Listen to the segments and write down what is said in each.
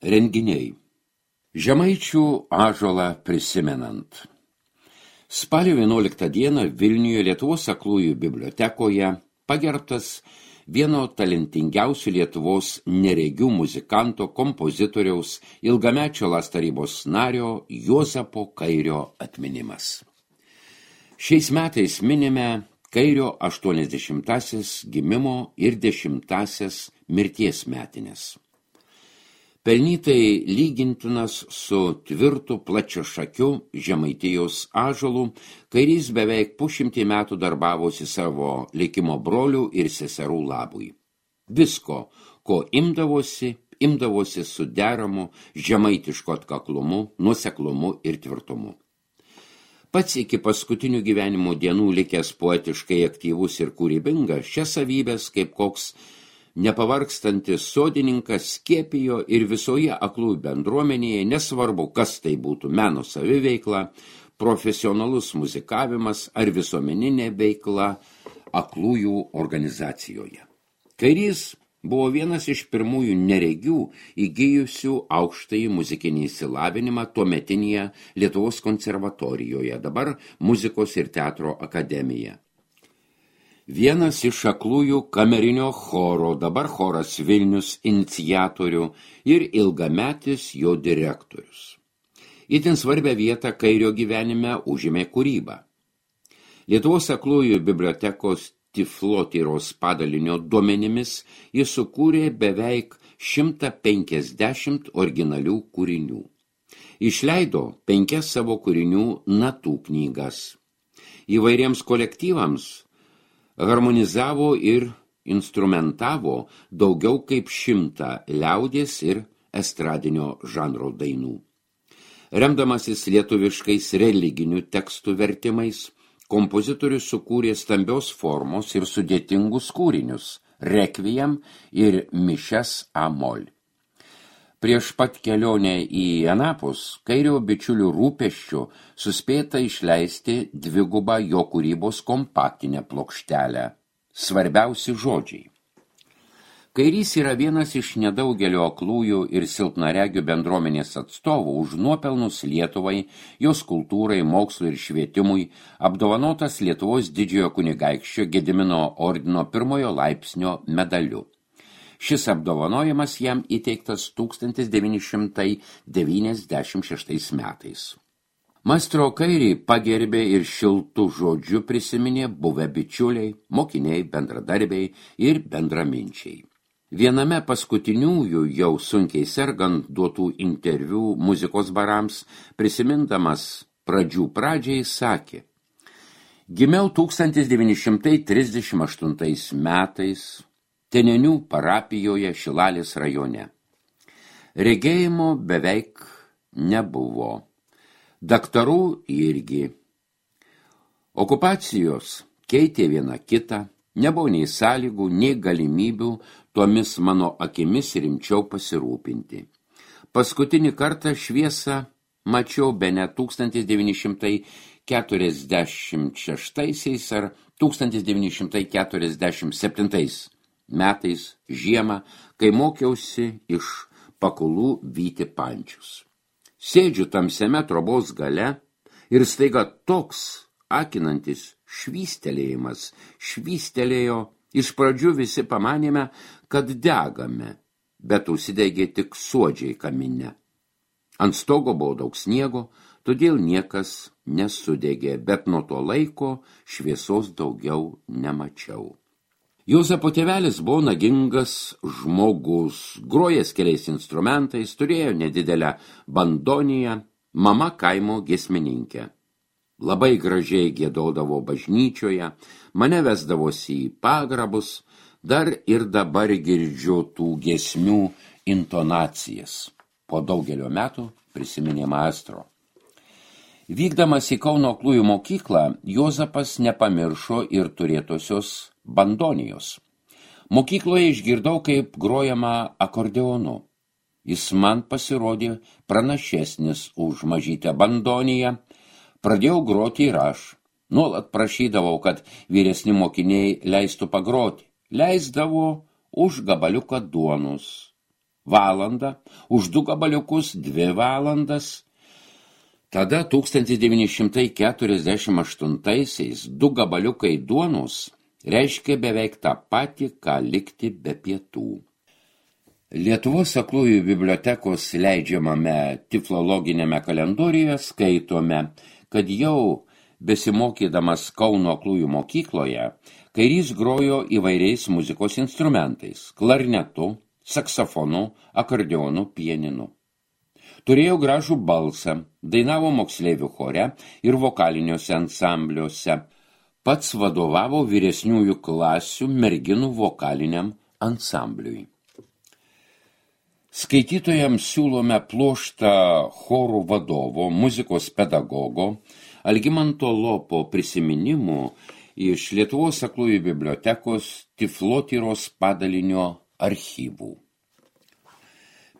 Renginiai. Žemaičių ąžuolą prisimenant. Spalio 11 dieną Vilniuje Lietuvos aklųjų bibliotekoje pagerbtas vieno talentingiausių Lietuvos neregių muzikanto, kompozitoriaus, ilgamečio LAS tarybos nario Juozapo Kairio atminimas. Šiais metais minime Kairio 80-asias gimimo ir 10-asias mirties metines. Pelnytai lygintinas su tvirtu plačiašakiu Žemaitijos ąžuolu, Kairys beveik pusšimtį metų darbavosi savo likimo brolių ir seserų labui. Visko, ko imdavosi su deramu žemaitišku atkaklumu, nuoseklumu ir tvirtumu. Pats iki paskutinių gyvenimo dienų likęs poetiškai aktyvus ir kūrybingas, šias savybės kaip koks nepavargstantis sodininkas skiepijo ir visoje aklųjų bendruomenėje, nesvarbu, kas tai būtų meno saviveikla, profesionalus muzikavimas ar visuomeninė veikla aklųjų organizacijoje. Kairys buvo vienas iš pirmųjų neregių įgijusių aukštąjį muzikinį išsilavinimą tuometinėje Lietuvos konservatorijoje, dabar Muzikos ir teatro akademija. Vienas iš aklųjų kamerinio choro, dabar choras Vilnius, iniciatorių ir ilgametis jo direktorius. Itin svarbią vietą Kairio gyvenime užėmė kūryba. Lietuvos aklųjų bibliotekos Tiflotyros padalinio duomenimis jis sukūrė beveik 150 originalių kūrinių. Išleido 5 savo kūrinių natų knygas. Įvairiems kolektyvams harmonizavo ir instrumentavo daugiau kaip 100 liaudies ir estradinio žanro dainų. Remdamasis lietuviškais religinių tekstų vertimais, kompozitorius sukūrė stambios formos ir sudėtingus kūrinius – rekviem ir mišias A-mol. Prieš pat kelionę į anapus Kairio bičiulių rūpesčių suspėta išleisti 2 jo kūrybos kompaktinę plokštelę – Svarbiausi žodžiai. Kairys yra vienas iš nedaugelio aklųjų ir silpnaregių bendruomenės atstovų už nuopelnus Lietuvai, jos kultūrai, mokslui ir švietimui, apdovanotas Lietuvos didžiojo kunigaikščio Gedimino ordino 1 laipsnio medaliu. Šis apdovanojimas jam įteiktas 1996 metais. Maestro Kairį pagerbė ir šiltų žodžių prisiminė buvę bičiuliai, mokiniai, bendradarbiai ir bendraminčiai. Viename paskutiniųjų jau sunkiai sergant duotų interviu muzikos barams, prisimindamas pradžiai sakė: Gimiau 1938 metais Tenenių parapijoje Šilalės rajone. Regėjimo beveik nebuvo. Daktarų irgi. Okupacijos keitė vieną kitą, nebuvo nei sąlygų, nei galimybių tomis mano akimis rimčiau pasirūpinti. Paskutinį kartą šviesą mačiau bene 1946 ar 1947 metais žiemą, kai mokiausi iš Pakulų vyti pančius. Sėdžiu tamsiame trobos gale ir staiga toks akinantis švystelėjo, iš pradžių visi pamanėme, kad degame, bet užsidegė tik suodžiai kamine. Ant stogo buvo daug sniego, todėl niekas nesudegė, bet nuo to laiko šviesos daugiau nemačiau. Juozapo tėvelis buvo nagingas žmogus, grojęs keliais instrumentais, turėjo nedidelę bandoniją, mama kaimo giesmininkė. Labai gražiai giedodavo bažnyčioje, mane vesdavosi į pagrabus, dar ir dabar girdžiu tų giesmių intonacijas. Po daugelio metų prisiminė maestro. Vykdamas į Kauno aklųjų mokyklą, Juozapas nepamiršo ir turėtosios bandonijos. Mokykloje išgirdau, kaip grojama akordeonu. Jis man pasirodė pranašesnis už mažytę bandoniją. Pradėjau groti ir aš. Nuolat prašydavau, kad vyresni mokiniai leistų pagroti. Leisdavo už gabaliuką duonos. valandą, už 2 gabaliukus 2 valandas. Tada 1948-aisiais 2 gabaliukai duonos reiškia beveik tą patį, ką likti be pietų. Lietuvos aklųjų bibliotekos leidžiamame tiflologinėme kalendoriuje skaitome, kad jau besimokydamas Kauno aklųjų mokykloje, Kairys grojo įvairiais muzikos instrumentais – klarnetu, saksofonu, akordeonu, pianinu. Turėjo gražų balsą, dainavo moksleivių chore ir vokaliniuose ansambliuose. Pats vadovavo vyresniųjų klasių merginų vokaliniam ansambliui. Skaitytojams siūlome pluoštą chorų vadovo, muzikos pedagogo Algimanto Lopo prisiminimų iš Lietuvos aklųjų bibliotekos Tiflotyros padalinio archyvų.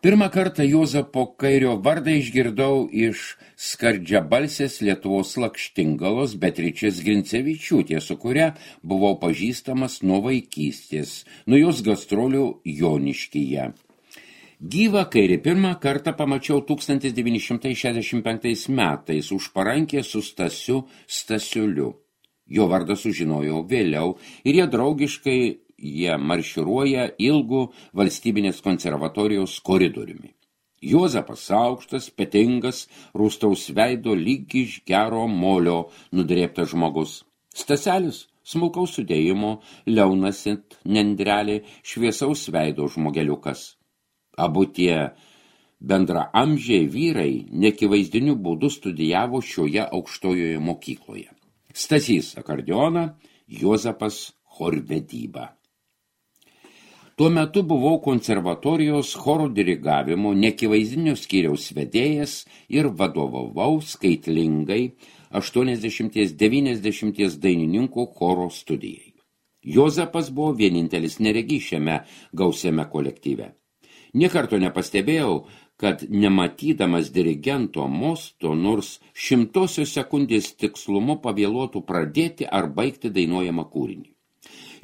Pirmą kartą Juozapo Kairio vardą išgirdau iš skardžiabalsės Lietuvos lakštingalos Beatričės Grincevičiūtės, su kuria buvau pažįstamas nuo vaikystės, nuo jos gastrolių Joniškyje. Gyvą Kairį pirmą kartą pamačiau 1965 metais už parankės su Stasiu Stasiuliu. Jo vardą sužinojau vėliau ir jie marširuoja ilgu valstybinės konservatorijos koridoriumi. Juozapas aukštas, petingas, rūstaus veido lyg iš gero molio nudrėbtas žmogus. Staselis smulkaus sudėjimo, liaunasit nendrelė, šviesaus veido žmogeliukas. Abu tie bendraamžiai vyrai nekivaizdiniu būdu studijavo šioje aukštojoje mokykloje. Stasys akordeoną, Juozapas chorvedybą. Tuo metu buvau konservatorijos chorų dirigavimo nekivaizdinio skyriaus vedėjas ir vadovavau skaitlingai 80-90 dainininkų choro studijai. Juozapas buvo vienintelis neregys šiame gausiame kolektyve. Niekarto nepastebėjau, kad nematydamas dirigento mosto nors 100 sekundės tikslumu pavėluotų pradėti ar baigti dainuojamą kūrinį.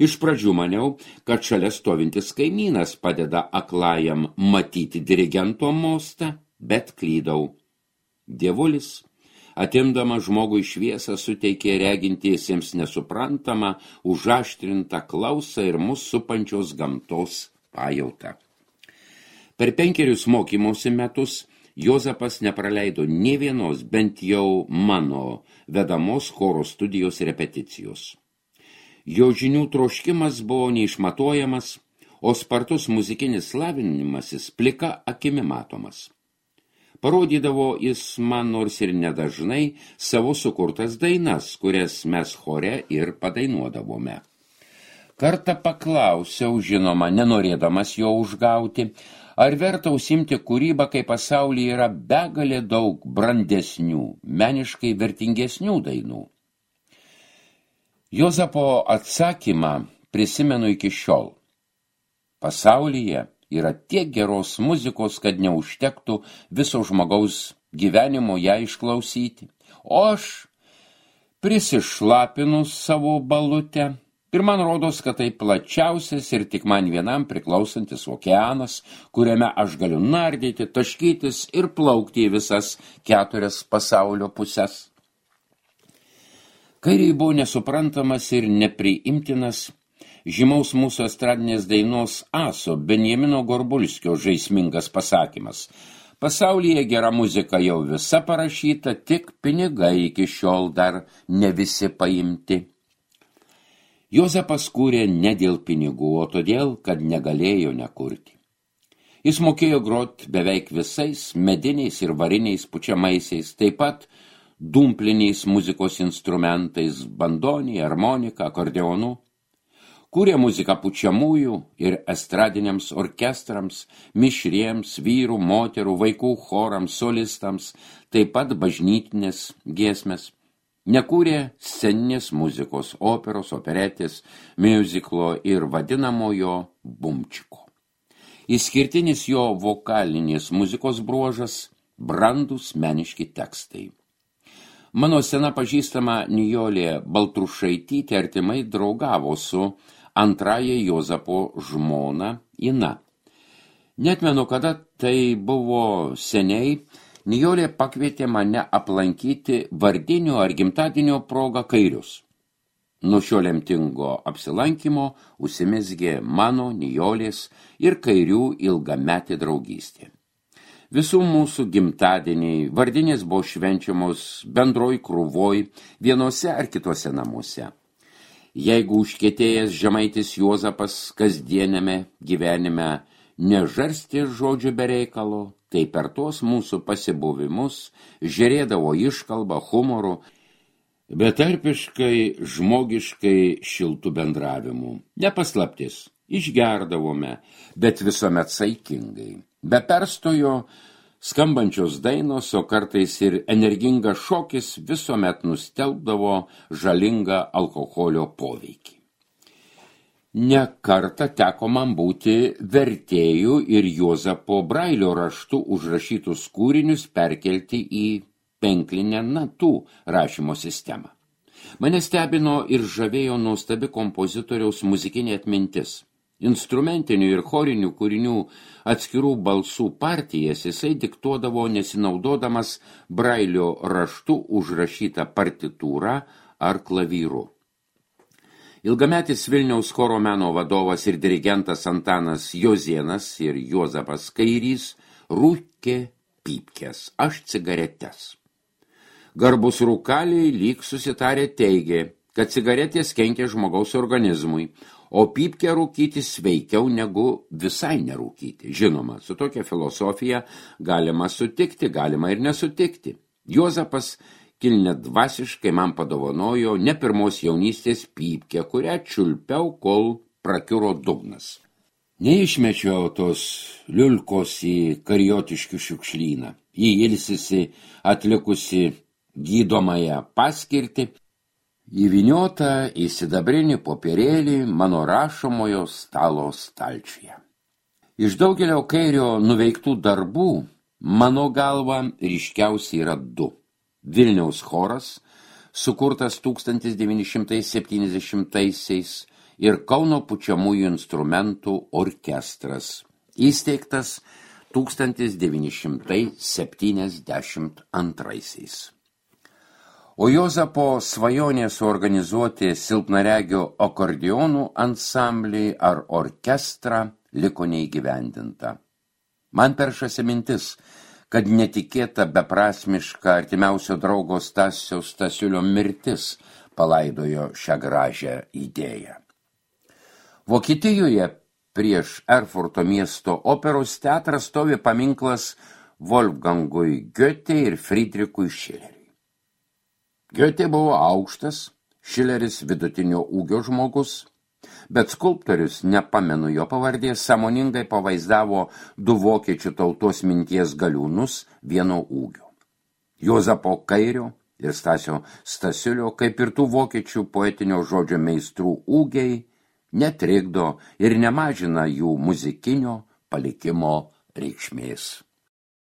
Iš pradžių maniau, kad šalia stovintis kaimynas padeda aklajam matyti dirigento mostą, bet klydau. Dievulis, atimdamas žmogui šviesą, suteikė regintiesiems nesuprantamą, užaštrintą klausą ir mus supančios gamtos pajautą. Per 5 mokymosi metus Juozapas nepraleido nė vienos, bent jau mano vedamos choro studijos repeticijos. Jo žinių troškimas buvo neišmatuojamas, o spartus muzikinis lavinimasis plika akimi matomas. Parodydavo jis man nors ir nedažnai savo sukurtas dainas, kurias mes chore ir padainuodavome. Kartą paklausiau, žinoma, nenorėdamas jo užgauti, ar verta užsimti kūrybą, kai pasaulyje yra begalė daug brandesnių, meniškai vertingesnių dainų. Juozapo atsakymą prisimenu iki šiol. Pasaulyje yra tiek geros muzikos, kad neužtektų viso žmogaus gyvenimo ją išklausyti. O aš prisišlapinu savo balutę. Ir man rodos, kad tai plačiausias ir tik man vienam priklausantis okeanas, kuriame aš galiu nardyti, taškytis ir plaukti į visas 4 pasaulio puses. Kairiui buvo nesuprantamas ir nepriimtinas žymaus mūsų estradinės dainos aso Benjamino Gorbulskio žaismingas pasakymas. Pasaulyje gera muzika jau visa parašyta, tik pinigai iki šiol dar ne visi paimti. Juozapas kūrė ne dėl pinigų, o todėl, kad negalėjo nekurti. Jis mokėjo groti beveik visais mediniais ir variniais pučiamaisiais, taip pat dumpliniais muzikos instrumentais, bandonį, harmoniką, akordeonu. Kūrė muziką pučiamųjų ir estradiniams orkestrams, mišriems, vyrų, moterų, vaikų chorams, solistams, taip pat bažnytinės giesmės. Nekūrė sceninės muzikos, operos, operetės, miuziklo ir vadinamojo bumčiko. Išskirtinis jo vokalinės muzikos bruožas – brandūs meniški tekstai. Mano sena pažįstama Nijolė Baltrušaitytė artimai draugavo su antraja Juozapo žmona Ina. Netmenu, kada tai buvo seniai, Nijolė pakvietė mane aplankyti vardinių ar gimtadienio proga Kairius. Nuo šio lemtingo apsilankymo užsimezgė mano, Nijolės ir Kairių ilgametė draugystė. Visų mūsų gimtadieniai, vardinės buvo švenčiamos bendroj krūvoj, vienose ar kitose namuose. Jeigu užkietėjęs žemaitis Juozapas kasdienėme gyvenime nežarstė žodžių be reikalo, tai per tos mūsų pasibuvimus žiūrėdavo iškalbą, humoru, betarpiškai, žmogiškai šiltų bendravimų. Nepaslaptis, išgerdavome, bet visuomet saikingai. Be perstojo skambančios dainos, o kartais ir energingas šokis visuomet nustelbdavo žalingą alkoholio poveikį. Ne kartą teko man būti vertėjų ir Juozapo Brailio raštu užrašytus kūrinius perkelti į penklinę natų rašymo sistemą. Mane stebino ir žavėjo nuostabi kompozitoriaus muzikinė atmintis. Instrumentinių ir chorinių kūrinių atskirų balsų partijas jisai diktuodavo nesinaudodamas Brailio raštu užrašytą partitūrą ar klavyru. Ilgametis Vilniaus choro meno vadovas ir dirigentas Antanas Jozėnas ir Juozapas Kairys rūkė pypkes, aš cigaretes. Garbus rūkaliai lyg susitarė teigė, kad cigaretės kenkia žmogaus organizmui, o pypkę rūkyti sveikiau negu visai nerūkyti. Žinoma, su tokia filosofija galima sutikti, galima ir nesutikti. Juozapas kilnedvasiškai man padovanojo ne pirmos jaunystės pypkę, kurią čiulpiau, kol prakiuro dugnas. Neišmečiau tos liulkos į Kariotiškių šiukšlyną. Ji ilsisi atlikusi gydomąją paskirtį, įvyniota į sidabrinį popierėlį mano rašomojo stalo stalčiuje. Iš daugelio Kairio nuveiktų darbų, mano galva, ryškiausiai yra du. Vilniaus choras, sukurtas 1970-aisiais, ir Kauno pučiamųjų instrumentų orkestras, įsteigtas 1972. O Juozapo svajonė suorganizuoti silpnaregio akordionų ansamblį ar orkestrą liko neįgyvendinta. Man peršasi mintis, kad netikėta beprasmiška artimiausio draugo Stasio Stasiulio mirtis palaidojo šią gražią idėją. Vokietijoje prieš Erfurto miesto operos teatrą stovi paminklas Wolfgangui Goethe ir Friedrichui Schilleriui. Goethe buvo aukštas, Schilleris vidutinio ūgio žmogus, bet skulptorius, nepamenu jo pavardės, sąmoningai pavaizdavo du vokiečių tautos minties galiūnus vieno ūgio. Juozapo Kairio ir Stasio Stasiulio, kaip ir tų vokiečių poetinio žodžio meistrų ūgiai, netrikdo ir nemažina jų muzikinio palikimo reikšmės.